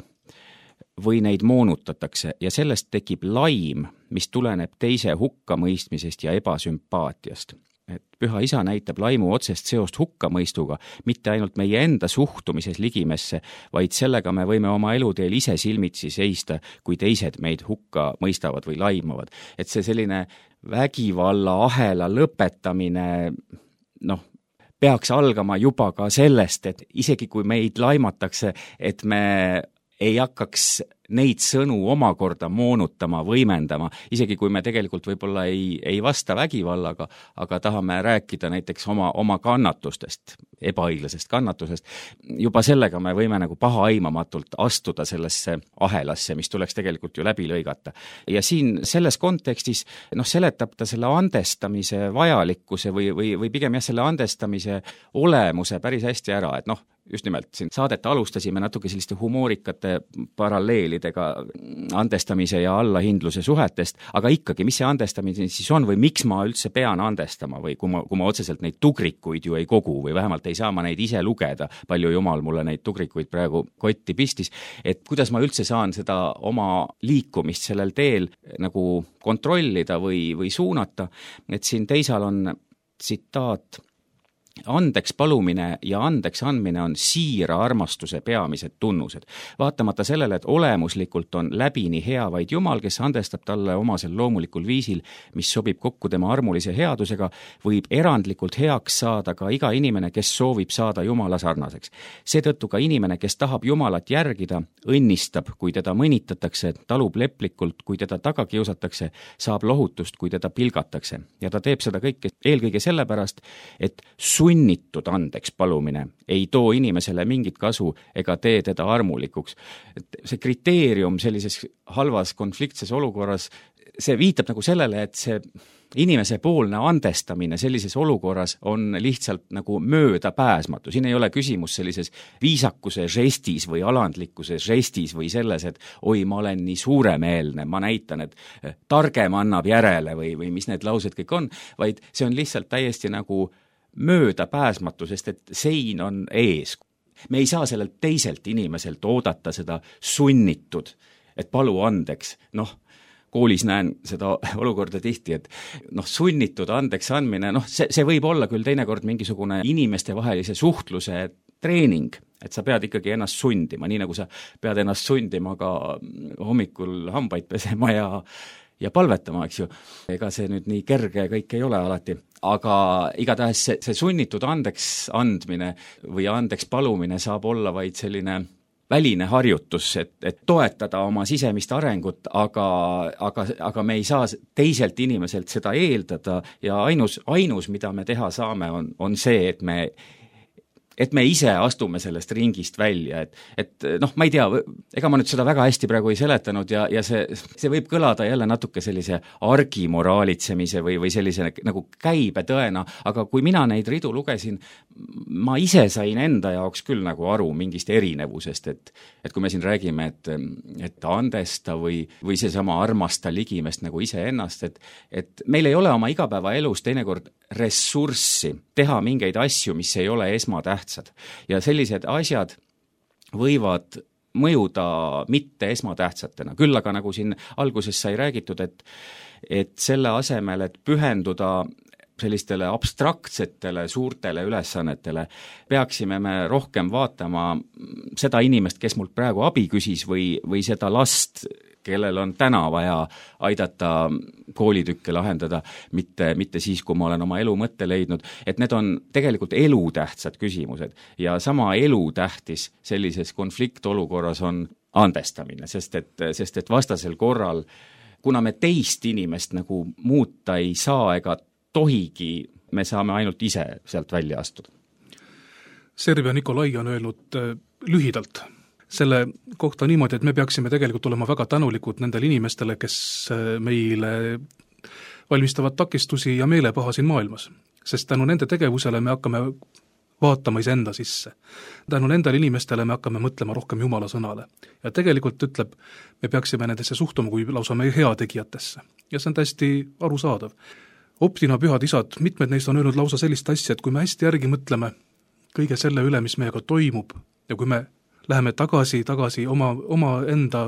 või neid moonutatakse ja sellest tekib laim, mis tuleneb teise hukkamõistmisest ja ebasümpaatiast. Et Püha Isa näitab laimu otsest seost hukkamõistuga, mitte ainult meie enda suhtumises ligimesse, vaid sellega me võime oma eluteel ise silmitsi seista, kui teised meid hukka mõistavad või laimavad. Et see selline vägivalla ahela lõpetamine, peaks algama juba ka sellest, et isegi kui meid laimatakse, et me ei hakkaks neid sõnu omakorda moonutama, võimendama, isegi kui me tegelikult võib-olla ei vasta vägivallaga, aga tahame rääkida näiteks oma kannatustest, ebaõiglasest kannatusest, juba sellega me võime nagu pahaaimamatult astuda sellesse ahelasse, mis tuleks tegelikult ju läbi lõigata. Ja siin selles kontekstis seletab ta selle andestamise vajalikkuse või pigem selle andestamise olemuse päris hästi ära, et just nimelt siin saadet alustasime natuke selliste humoorikate paralleelidega andestamise ja allahindluse suhetest, aga ikkagi, mis see andestamine siis on või miks ma üldse pean andestama või kui ma otseselt neid tugrikuid ju ei kogu või vähemalt ei saa ma neid ise lugeda, palju jumal mulle neid tugrikuid praegu kotti pistis, et kuidas ma üldse saan seda oma liikumist sellel teel nagu kontrollida või suunata, et siin teisal on tsitaat: andeks palumine ja andeks andmine on siira armastuse peamised tunnused. Vaatamata sellele, et olemuslikult on läbini hea vaid Jumal, kes andestab talle omasel loomulikul viisil, mis sobib kokku tema armulise headusega, võib erandlikult heaks saada ka iga inimene, kes soovib saada Jumala sarnaseks. Seetõttu ka inimene, kes tahab Jumalat järgida, õnnistab, kui teda mõnitatakse, talub leplikult, kui teda taga kiusatakse, saab lohutust, kui teda pilgatakse. Ja ta teeb seda kõike eelkõige sellepärast, et sunnitud andeks palumine ei too inimesele mingit kasu ega tee teda armulikuks. See kriteerium sellises halvas konfliktses olukorras, see viitab nagu sellele, et see inimese poolne andestamine sellises olukorras on lihtsalt nagu möödapääsmatu. Siin ei ole küsimus sellises viisakuse žestis või alandlikkuse žestis või selles, et oi, ma olen nii suuremeelne, ma näitan, et targem annab järele või mis need laused kõik on, vaid see on lihtsalt täiesti nagu möödapääsmatu, sest et sein on ees. Me ei saa sellelt teiselt inimeselt oodata seda sunnitud, et palu andeks. Koolis näen seda olukorda tihti, et sunnitud andeks andmine, see võib olla küll teinekord mingisugune inimestevahelise suhtluse treening, et sa pead ikkagi ennast sundima, nii nagu sa pead ennast sundima ka hommikul hambaid pesema ja palvetama, eks ju. Ega see nüüd nii kerge kõik ei ole alati, aga igatahes see sunnitud andeks andmine või andeks palumine saab olla vaid selline väline harjutus, et toetada oma sisemist arengut, aga me ei saa teiselt inimeselt seda eeldada ja ainus, mida me teha saame, on see, et me ise astume sellest ringist välja, et ma ei tea, ega ma nüüd seda väga hästi praegu ei seletanud ja see võib kõlada jälle natuke sellise argimoraalitsemise või sellise nagu käibetõena, aga kui mina neid ridu lugesin, ma ise sain enda jaoks küll nagu aru mingist erinevusest, et kui me siin räägime, et andesta või seesama armasta ligimest nagu iseennast, et meil ei ole oma igapäevaelus teinekord ressurssi teha mingeid asju, mis ei ole esmatähtsad. Ja sellised asjad võivad mõjuda mitte esmatähtsatena. Küll aga nagu siin alguses sai räägitud, et selle asemel, et pühenduda sellistele abstraktsetele suurtele ülesannetele, peaksime me rohkem vaatama seda inimest, kes mult praegu abi küsis või seda last, kellel on täna vaja aidata koolitükke lahendada, mitte siis, kui ma olen oma elu mõtte leidnud, et need on tegelikult elutähtsad küsimused ja sama elutähtis sellises konfliktolukorras on andestamine, sest et vastasel korral, kuna me teist inimest nagu muuta ei saa ega tohigi, me saame ainult ise sealt välja astuda. Serbia Nikolai on öelnud lühidalt selle kohta niimoodi, et me peaksime tegelikult olema väga tänulikud nendele inimestele, kes meile valmistavad takistusi ja meelepaha siin maailmas. Sest tänu nende tegevusele me hakkame vaatama iseenda sisse. Tänu nendele inimestele me hakkame mõtlema rohkem Jumala sõnale. Ja tegelikult ütleb, me peaksime nendesse suhtuma kui lausa meie heategijatesse. Ja see on täiesti arusaadav. Optina pühad isad, mitmed neist on öelnud lausa sellist asja, et kui me hästi järgi mõtleme kõige selle üle, mis meiega toimub ja kui me läheme tagasi oma enda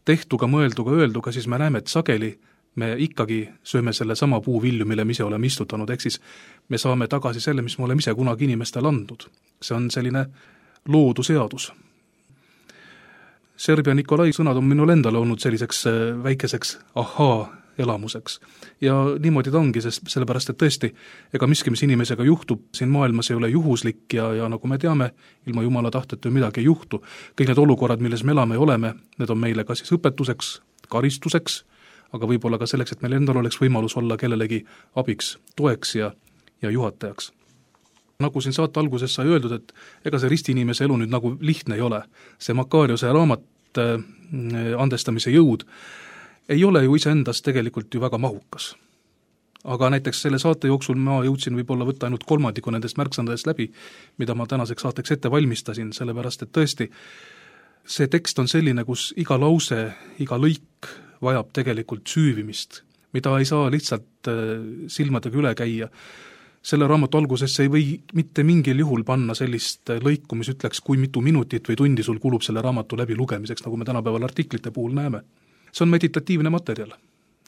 tehtuga, mõelduga, öelduga, siis me näeme, et sageli me ikkagi sööme selle sama puu vilju, mille me ise oleme istutanud, ehk siis me saame tagasi selle, mis me oleme ise kunagi inimestele andnud. See on selline looduseadus. Serbia Nikolai sõnad on minul endale olnud selliseks väikeseks elamuseks. Ja niimoodi ta ongi, sellepärast, et tõesti, ega miski, mis inimesega juhtub, siin maailmas ei ole juhuslik ja nagu me teame, ilma Jumala tahteta midagi ei juhtu. Kõik need olukorrad, milles me elame ja oleme, need on meile ka siis õpetuseks, karistuseks, aga võib-olla ka selleks, et meil endal oleks võimalus olla kellelegi abiks, toeks ja juhatajaks. Nagu siin saate alguses sai öeldud, et ega see ristiinimese elu nüüd nagu lihtne ei ole. See Makariose raamat Andestamise jõud ei ole ju iseendast tegelikult ju väga mahukas. Aga näiteks selle saate jooksul ma jõudsin võib-olla võtta ainult kolmandiku nendest märksõnadest läbi, mida ma tänaseks saateks ette valmistasin, sellepärast et tõesti see tekst on selline, kus iga lause, iga lõik vajab tegelikult süüvimist, mida ei saa lihtsalt silmadega üle käia. Selle raamatu algusesse ei või mitte mingil juhul panna sellist lõiku, mis ütleks, kui mitu minutit või tundi sul kulub selle raamatu läbi lugemiseks, nagu me tänapäeval artiklite puhul näeme. See on meditatiivne materjal.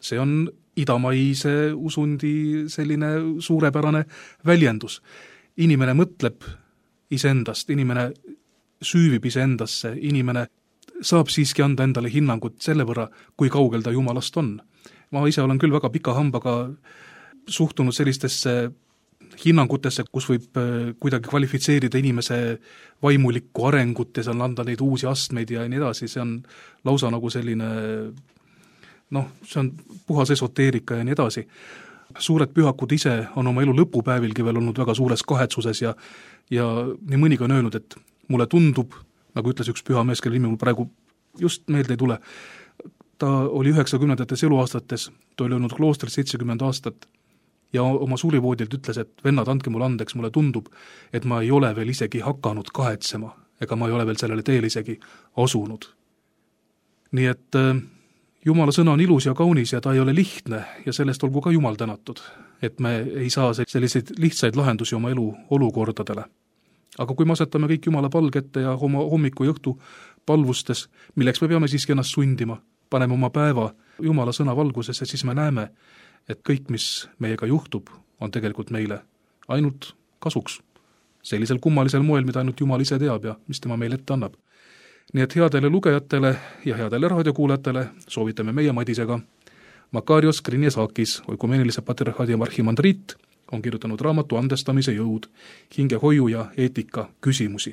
See on idamaise usundi selline suurepärane väljendus. Inimene mõtleb iseendast, inimene süüvib iseendasse, inimene saab siiski anda endale hinnangut selle võrra, kui kaugel ta Jumalast on. Ma ise olen küll väga pika hambaga suhtunud sellistesse hinnangutesse, kus võib kuidagi kvalifitseerida inimese vaimulikku arengut ja seal anda neid uusi astmeid ja nii edasi, see on lausa nagu selline, see on puhas esoteerika ja nii edasi. Suured pühakud ise on oma elu lõpupäevilgi veel olnud väga suures kahetsuses ja nii mõnigi on öelnud, et mulle tundub, nagu ütles üks püha mees, kelle nimi mul praegu just meelde ei tule, ta oli 90-ndates eluaastates, ta oli olnud kloostris 70 aastat, ja oma suurivoodilt ütles, et vennad, andke mulle andeks, mulle tundub, et ma ei ole veel isegi hakanud kahetsema, ega ma ei ole veel sellele teele isegi asunud. Nii et Jumala sõna on ilus ja kaunis ja ta ei ole lihtne ja sellest olgu ka Jumal tänatud, et me ei saa selliseid lihtsaid lahendusi oma elu olukordadele. Aga kui me asetame kõik Jumala palgette ja oma hommiku ja õhtu palvustes, milleks me peame siiski ennast sundima, paneme oma päeva Jumala sõna valgusesse, siis me näeme, et kõik, mis meiega juhtub, on tegelikult meile ainult kasuks. Sellisel kummalisel moel, mida ainult Jumal ise teab ja mis tema meile ette annab. Nii et headele lugejatele ja headele raadiokuulajatele soovitame meie Madisega. Makarios Krinesakis, oikumeenilise patriarhaadi arhimandriit, on kirjutanud raamatu Andestamise jõud, hingehoiu ja eetika küsimusi.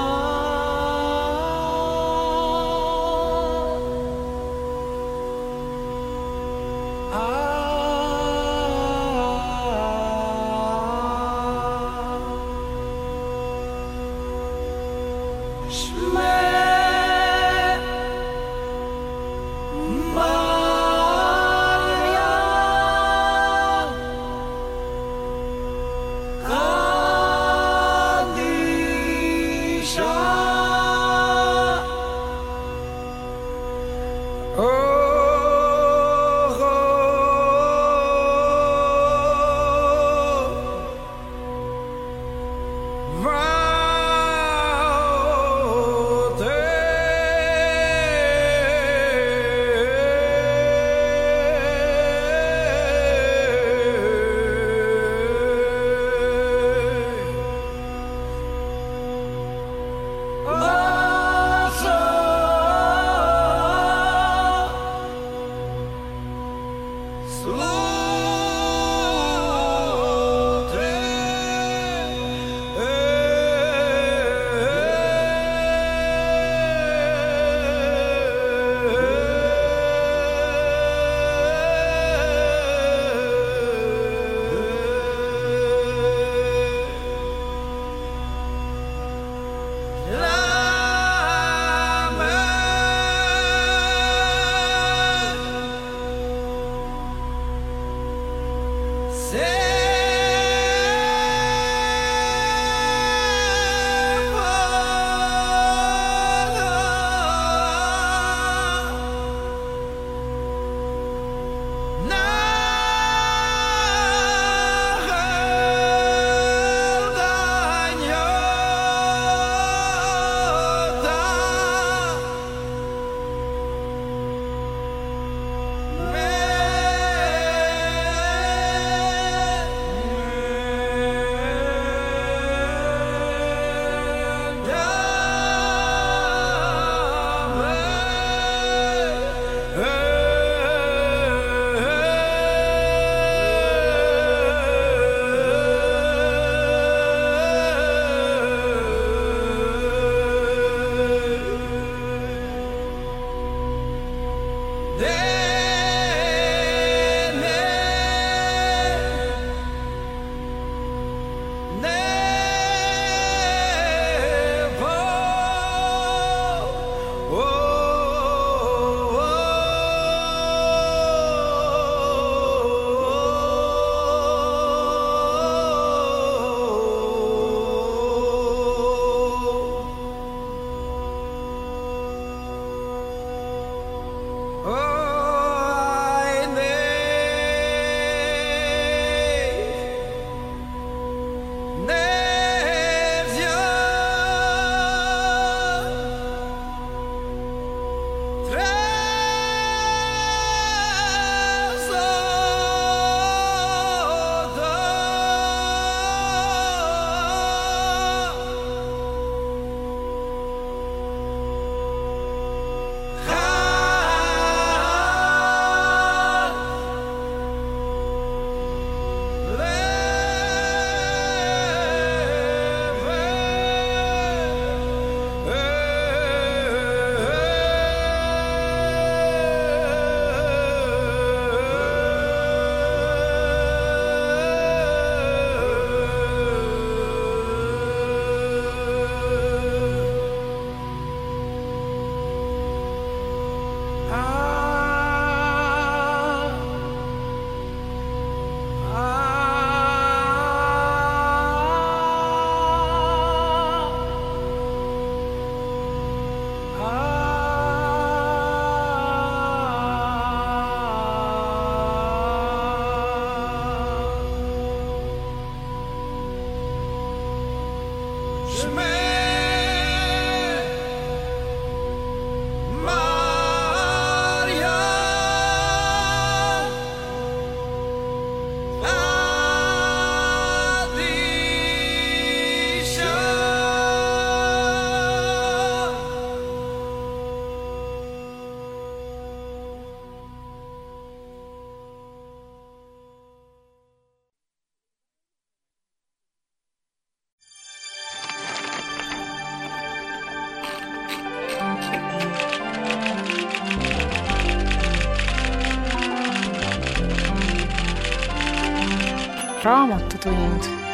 Raamatutund.